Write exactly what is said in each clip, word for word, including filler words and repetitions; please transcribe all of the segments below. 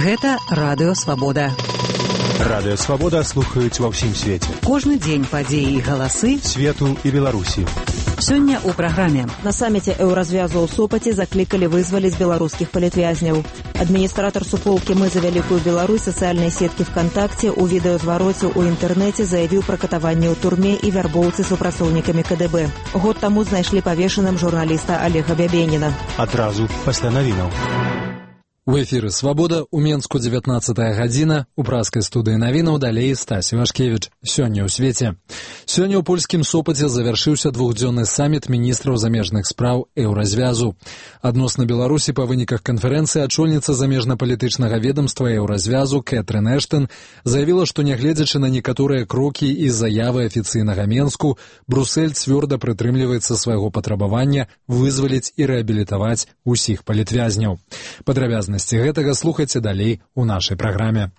Гэта Радыё Свабода. Радыё Свабода слухаюць ва ўсім свеце. Кожны дзень падзеі і галасы свету і Беларусі. Сёння ў праграме. На саміце Еўразвязу ў Сопаце заклікалі вызваліць беларускіх палітвязняў. Адміністратор суполкі «Мы за Вялікую Беларусь» сацыяльнай сеткі ВКонтакте у відэазвароце ў інтэрнэце заявіў пра катаванне ў турме і вярбоўцы супрацоўнікамі ка дэ бэ. Год таму знайшлі павешаным журналіста Олега Бябеніна. Адразу пасля навінаў. У эфіры «Свабода», у Менску дзевятнаццатая гадзіна, у праскай студыі навінаў далей Стась Івашкевіч. Сёння ў свеце. Сёння ў польскім Сопаце завяршыўся двухдзённы саміт міністраў замежных спраў Еўразвязу. Адносна Беларусі па выніках канферэнцыі ачольніца замежна-палітычнага ведамства Еўразвязу Кэтрын Эштон заявіла, што нягледзячы на некаторыя крокі і заявы афіцыйнага Менску, Брусэль цвёрда прытрымліваецца свайго патрабавання вызваліць і рэабілітаваць усіх палітвязняў. Падрабязнасці гэтага слухайце далей у нашай праграме.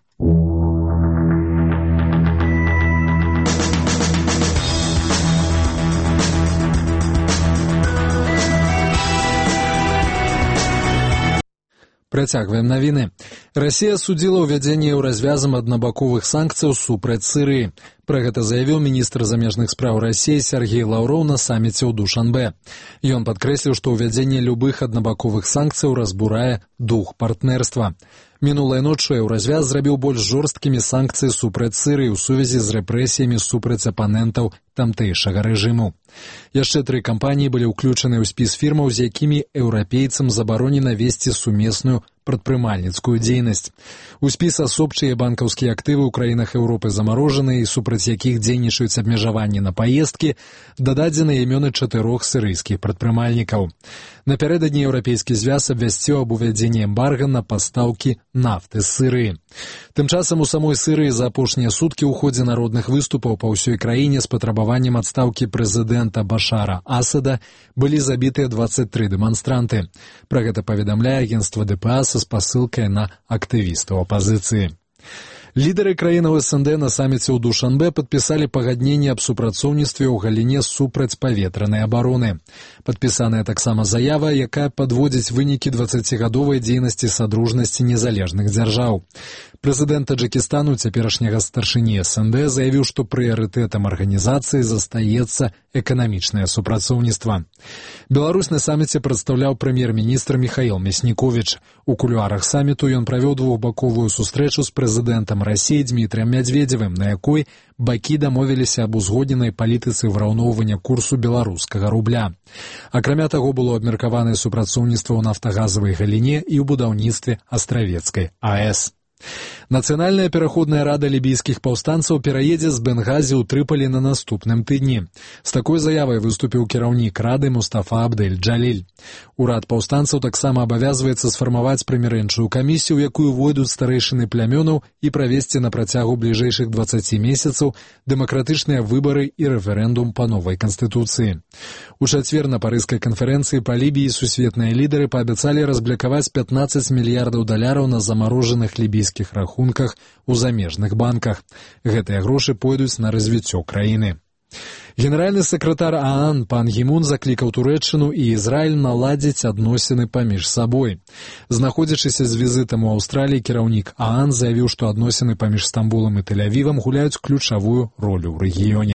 Працягваем навіны. Расія судзіла ўвядзенне еўразвязам аднабаковых санкцыяў супраць Сірыі. Пра гэта заявіў міністр замежных спраў Расіі Сергей Лаўроў на саміце ў Душанбе. Ён падкрэсліў, што ўвядзенне любых аднабаковых санкцыяў разбурае дух партнерства. Мінулай ноччу еўразвяз зрабіў больш жорсткімі санкцыі супраць Сірыі ў сувязі з рэпрэсіямі супраць апанентаў тамтэйшага рэжыму. Яшчэ тры кампаніі былі ўключаны ў спіс фірмаў, з якімі еўрапейцам забаронена весці сумесную прадпрымальніцкую дзейнасць. У спіс асоб, чые банкаўскія актывы ў краінах Еўропы замарожаныя і супраць якіх дзейнічаюць абмежаванні на паездкі, дададзены імёны чатырох сірыйскіх прадпрымальнікаў. Напярэдадні еўрапейскі звяз абвясціў аб увядзенні эмбарга на пастаўкі нафты з Сірыі. Тым часам у самой Сірыі за апошнія суткі ў ходзе народных выступаў па ўсёй краіне з патрабаваннем адстаўкі прэзідэнта Башара Асада былі забітыя дваццаць тры дэманстранты. Пра гэта паведамляе агенцтва дэ пэ а са спасылкай на актывістаў апазіцыі. Лідары краінаў эс эн дэ на саміце ў Душанбе падпісалі пагадненне аб супрацоўніцтве ў галіне супрацьпаветранай абароны. Падпісаная таксама заява, якая падводзіць вынікі дваццацігадовай дзейнасці садружнасці незалежных дзяржаў. Прэзідэнт Таджыкістану, цяперашняга старшыні эс эн дэ, заявіў, што прыярытэтам арганізацыі застаецца эканамічнае супрацоўніцтва. Беларусь на саміце прадстаўляў прэм'ер-міністр Міхаіл Мясніковіч. У кулуарах саміту ён правёў двухбаковую сустрэчу з прэзідэнтам Расіі Дмітрыем Мядзведзевым, на якой бакі дамовіліся аб узгодненай палітыцы выраўноўвання курсу беларускага рубля. Акрамя таго, было абмеркаванае супрацоўніцтва ў нафтагазавай галіне і ў будаўніцтве Астравецкай а эс. Нацыянальная пераходная рада лібійскіх паўстанцаў пераедзе з Бенгазі ў Трыпалі на наступным тыдні. З такой заявай выступіў кіраўнік рады Мустафа Абдэль-Джаліль. Урад паўстанцаў таксама абавязваецца сфармаваць прымірэнчую камісію, у якую войдуць старэйшыны плямёнаў і правесці на працягу бліжэйшых дваццаці месяцаў дэмакратычныя выбары і рэферэндум па новай канстытуцыі. У чацвер на парыжскай канферэнцыі па Лібіі сусветныя лідары паабяцалі разблякаваць пятнаццаць мільярдаў даляраў на замарожаных лібійскіх рахунках у замежных банках. Гэтыя грошы пойдуць на развіццё краіны. Генеральны сакратар ААН пан Гімун заклікаў Турэччыну і Ізраіль наладзіць адносіны паміж сабой. Знаходзячыся з візітам у Аўстраліі, кіраўнік ААН заявіў, што адносіны паміж Стамбулам і Тель-Авівам гуляюць ключавую ролю ў рэгіёне.